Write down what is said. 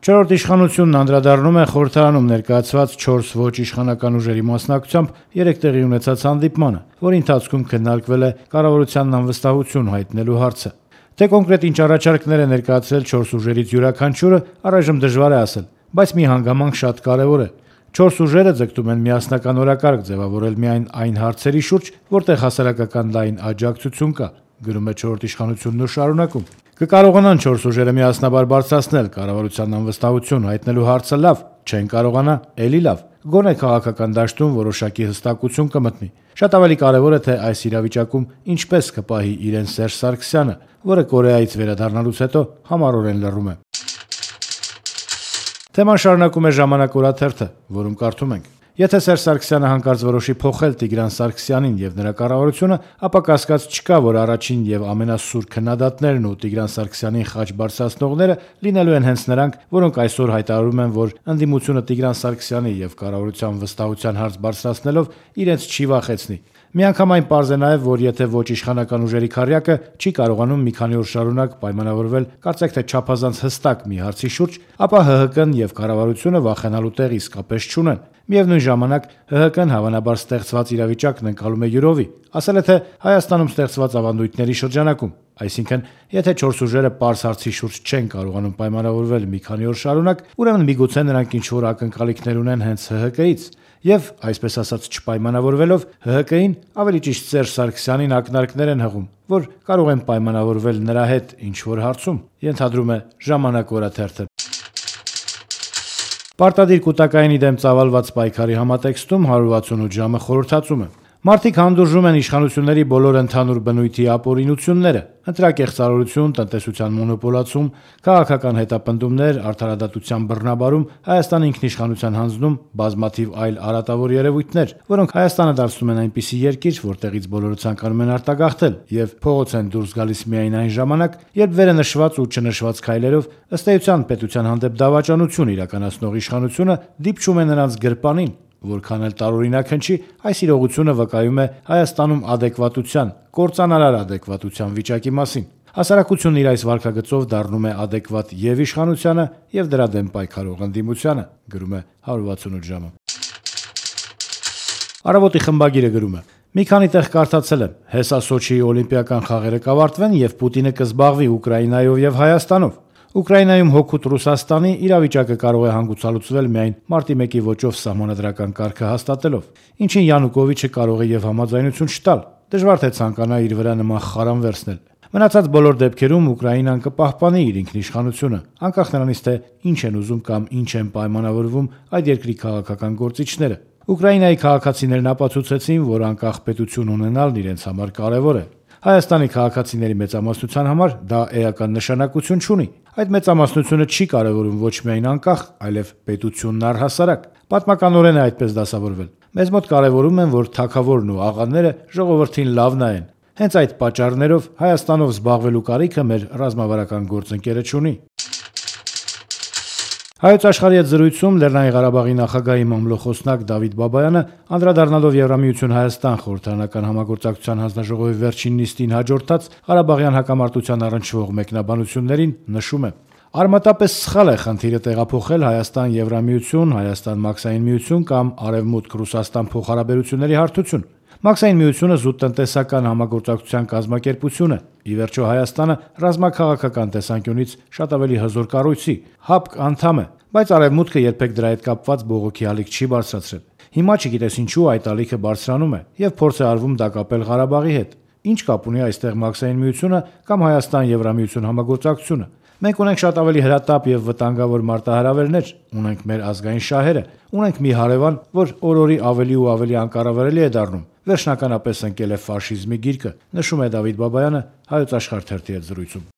Չորրորդ իշխանությունն անդրադառնում է խորհրդարանում ներկայացված 4 ոչ իշխանական ուժերի մասնակցությամբ 3 տեղի ունեցած հանդիպմանը, որի ընթացքում քննարկվել է կառավարությանն անվստահություն հայտնելու հարցը։ Թե կոնկրետ ինչ առաջարկներ է ներկայացրել 4 ուժերից յուրաքանչյուրը, առայժմ դժվար է ասել, բայց մի հանգամանք շատ կարևոր է։ 4 ուժերը ձգտում են միասնական օրակարգ ձևավորել միայն այն հարցերի շուրջ, որտեղ հասարակական լայն աջակցություն կա, գրում է չորրորդ իշխանությունն ու շարունակում. Կկարողանան 4 ուժերը միասնաբար բարձրացնել կառավարության անվստահություն հայտնելու հարցը, լավ, չեն կարողանա, էլի լավ, գոնե քաղաքական դաշտում որոշակի հստակություն կմտնի։ Շատ ավելի կարևոր է, թե այս իրավիճակում ինչպես կպահի իրեն Սերժ Սարգսյանը, որը Կորեայից վերադառնալուց հետո համառորեն լռում է։ Թեման շարունակում է «Ժամանակ» օրաթերթը, որում կարդում ենք. Եթե Սերժ Սարգսյանը հանկարծ որոշի փոխել Տիգրան Սարգսյանին եւ նրա կառավարությունը, ապա կասկած չկա, որ առաջին եւ ամենասուր քննադատներն ու Տիգրան Սարգսյանին խաչ բարձրացնողները լինելու են հենց նրանք, որոնք այսօր հայտարարում են, որ ընդդիմությունը Տիգրան Սարգսյանի եւ կառավարության վստահության հարց բարձրացնելով իրենց չի վախեցնի։ Միանգամայն պարզ է նաև, որ եթե ոչ իշխանական ուժերի քառյակը չի կարողանում մի քանի օր շարունակ պայմանավորվել կարծեք թե չափազանց հստակ մի հարցի շուրջ, ապա ՀՀԿ-ն եւ կառավարությունը վախենալու տեղ իսկապես չունեն։ Միևնույն ժամանակ ՀՀԿ-ն հավանաբար ստեղծված իրավիճակն ընկալում է յուրովի, ասել է թե Հայաստանում ստեղծված ավանդույթների շրջանակում, այսինքն եթե 4 ուժերը պարզ հարցի շուրջ չեն կարողանում պայմանավորվել մի քանի օր շարունակ, ուրեմն միգուցե նրանք ինչ-որ ակնկալիքներ ունեն հենց ՀՀԿ-ից, եւ այսպես ասած չպայմանավորվելով ՀՀԿ-ին, ավելի ճիշտ Սերժ Սարգսյանին ակնարկներ են հղում, որ կարող են պայմանավորվել նրա հետ ինչ-որ հարցում, ենթադրում է «Ժամանակ» օրաթերթը։ Պարտադիր կուտակայինի դեմ ծավալված պայքարի համատեքստում 168 ժամը խորհրդածում է։ Մարդիկ հանդուրժում են իշխանությունների բոլոր ընդհանուր բնույթի ապօրինությունները՝ ընտրակեղծարարություն, տնտեսության մոնոպոլացում, քաղաքական հետապնդումներ, արդարադատության բռնաբարում, Հայաստանի ինքնիշխանության հանձնում, բազմաթիվ այլ արատավոր երևույթներ, որոնք Հայաստանը դարձնում են այնպիսի երկիր, որտեղից բոլորը ցանկանում են արտագաղթել եւ փողոց են դուրս գալիս միայն այն ժամանակ, երբ վերը նշված ու չնշված քայլերով ըստ էության պետության հանդեպ դավաճանություն իրականացնող իշխանությունը դիպչում է նրանց գրպանին։ Որքան էլ տարօրինակ հնչի, այս իրողությունը վկայում է Հայաստանում ադեկվատության, կործանարար ադեկվատության վիճակի մասին։ Հասարակությունն իր այս վարքագծով դառնում է ադեկվատ եւ իշխանությանը եւ դրա դեմ պայքարող ընդդիմությանը, գրում է 168 ժամը։ Առավոտի խմբագիրը գրում է. Մի քանի տեղ կարդացել եմ. հեսա Սոչիի օլիմպիական խաղերը կավարտվեն եւ Պուտինը կզբաղվի Ուկրաինայով եւ Հայաստանով։ Ուկրաինայում հօգուտ Ռուսաստանի իրավիճակը կարող է հանգուցալուծվել միայն մարտի 1-ի ոճով սահմանադրական կարգը հաստատելով, ինչին Յանուկովիչը կարող է եւ համաձայնություն չտալ։ Դժվար թե ցանկանա իր վրա նման խարան վերցնել։ Մնացած բոլոր դեպքերում Ուկրաինան կպահպանի իր ինքնիշխանությունը, անկախ նրանից թե ինչ են ուզում կամ ինչ են պայմանավորվում այդ երկրի քաղաքական գործիչները։ Ուկրաինայի քաղաքացիներն ապացուցեցին, որ անկախ պետություն ունենալն իրենց համար կարևոր է։ Հայաստանի քաղաքացիների մեծամասնության համար դա էական նշանակություն չունի։ Այդ մեծամասնությունը չի կարևորում ոչ միայն անկախ, այլև պետությունն առհասարակ։ Պատմականորեն է այդպես դասավորվել։ Մեզ մոտ կարևորում են, որ թագավորն ու աղաները ժողովրդին լավ նայեն։ Հենց այդ պատճառներով Հայաստանով զբաղվելու կարիքը մեր ռազմավարական գործընկերը չունի։ Հայոց աշխարհի հետ զրույցում Լեռնային Ղարաբաղի նախագահի մամլոխոսնակ Դավիթ Բաբայանը անդրադառնալով Եվրամիություն Հայաստան խորհրդարանական համագործակցության հանձնաժողովի վերջին նիստին հաջորդած Ղարաբաղյան հակամարտության առնչվող մեկնաբանություններին նշում է. Արմատապես սխալ է խնդիրը տեղափոխել Հայաստան-Եվրամիություն, Հայաստան-Մաքսային միություն կամ Արևմուտք-Ռուսաստան փոխհարաբերությունների հարթություն։ Մաքսային միությունը զուտ տնտեսական համագործակցության կազմակերպություն է։ Ի վերջո Հայաստանը ռազմաքաղաքական տեսանկյունից շատ ավելի հզոր կառույցի, ՀԱՊԿ անդամ է, բայց Արևմուտքը երբեք դրա հետ կապված բողոքի ալիք չի բարձրացրել։ Հիմա չգիտես ինչու այդ ալիքը բարձրանում է եւ փորձ է արվում դա կապել Ղարաբաղի հետ։ Ինչ կապ ունի այստեղ Մաքսային միությունը կամ Հայաստան-Եվրամիություն համագործակցությունը։ Մենք ունենք շատ ավելի հրատապ եւ վտանգավոր մարտահրավերներ, ունենք մեր ազգային շահերը, ունենք մի հարևան, որ օր-օրի ավելի ու ավելի անկառավարելի է դառնում, վերջնականապես ընկել է ֆաշիզմի գիրկը, նշում է Դավիթ Բաբայանը Հայոց աշխարհ թերթի հետ զրույցում։